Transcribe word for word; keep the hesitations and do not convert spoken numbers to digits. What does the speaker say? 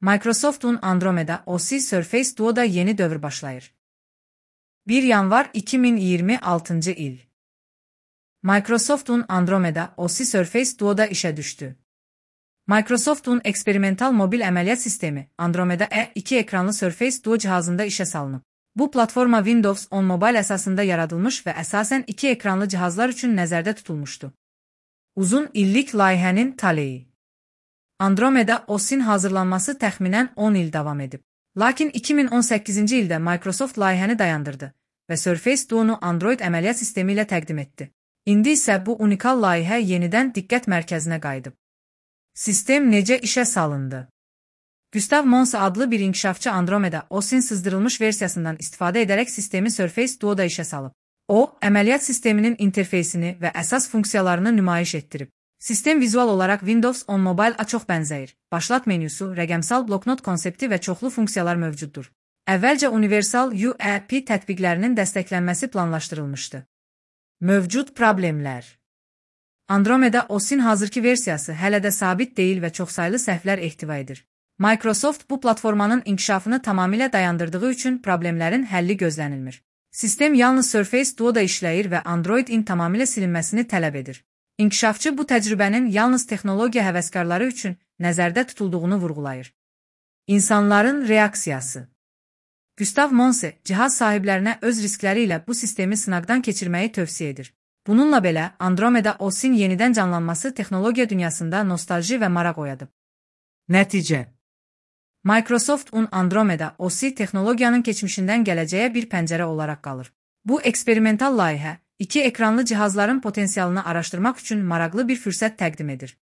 Microsoft'un Andromeda O S Surface Duo'da yeni dövr başlayır. bir yanvar iki min iyirmi altıncı il. Microsoft'un Andromeda O S Surface Duo'da işe düştü. Microsoft'un eksperimental mobil əməliyyat sistemi Andromeda E iki ekranlı Surface Duo cihazında işe salınıb. Bu platforma Windows on Mobile əsasında yaradılmış və əsasən iki ekranlı cihazlar üçün nəzərdə tutulmuşdu. Uzun illik layihənin taleyi. Andromeda O S'in hazırlanması təxminən on il davam edib. Lakin iki min on səkkizinci ildə Microsoft layihəni dayandırdı və Surface Duo'nu Android əməliyyat sistemi ilə təqdim etdi. İndi isə bu unikal layihə yenidən diqqət mərkəzinə qayıdıb. Sistem necə işə salındı? Gustav Monse adlı bir inkişafçı Andromeda O S'in sızdırılmış versiyasından istifadə edərək sistemi Surface Duo'da işə salıb. O, əməliyyat sisteminin interfeysini və əsas funksiyalarını nümayiş etdirib. Sistem vizual olaraq Windows on Mobile-a çox bənzəyir. Başlat menyusu, rəqəmsal bloknot konsepti və çoxlu funksiyalar mövcuddur. Əvvəlcə universal U E P tətbiqlərinin dəstəklənməsi planlaşdırılmışdı. Mövcud problemlər. Andromeda O S'in hazırki versiyası hələ də sabit deyil və çoxsaylı səhvlər ehtiva edir. Microsoft bu platformanın inkişafını tamamilə dayandırdığı üçün problemlərin həlli gözlənilmir. Sistem yalnız Surface Duo'da işləyir və Android-in tamamilə silinməsini tələb edir. İnkişafçı bu təcrübənin yalnız texnologiya həvəskarları üçün nəzərdə tutulduğunu vurğulayır. İnsanların reaksiyası. Gustav Monse, cihaz sahiblərinə öz riskləri ilə bu sistemi sınaqdan keçirməyi tövsiyə edir. Bununla belə, Andromeda O S'in yenidən canlanması texnologiya dünyasında nostalji və maraq oyadıb. Nəticə. Microsoft'un Andromeda O S texnologiyanın keçmişindən gələcəyə bir pəncərə olaraq qalır. Bu eksperimental layihə, iki ekranlı cihazların potensialını araşdırmaq üçün maraqlı bir fürsət təqdim edir.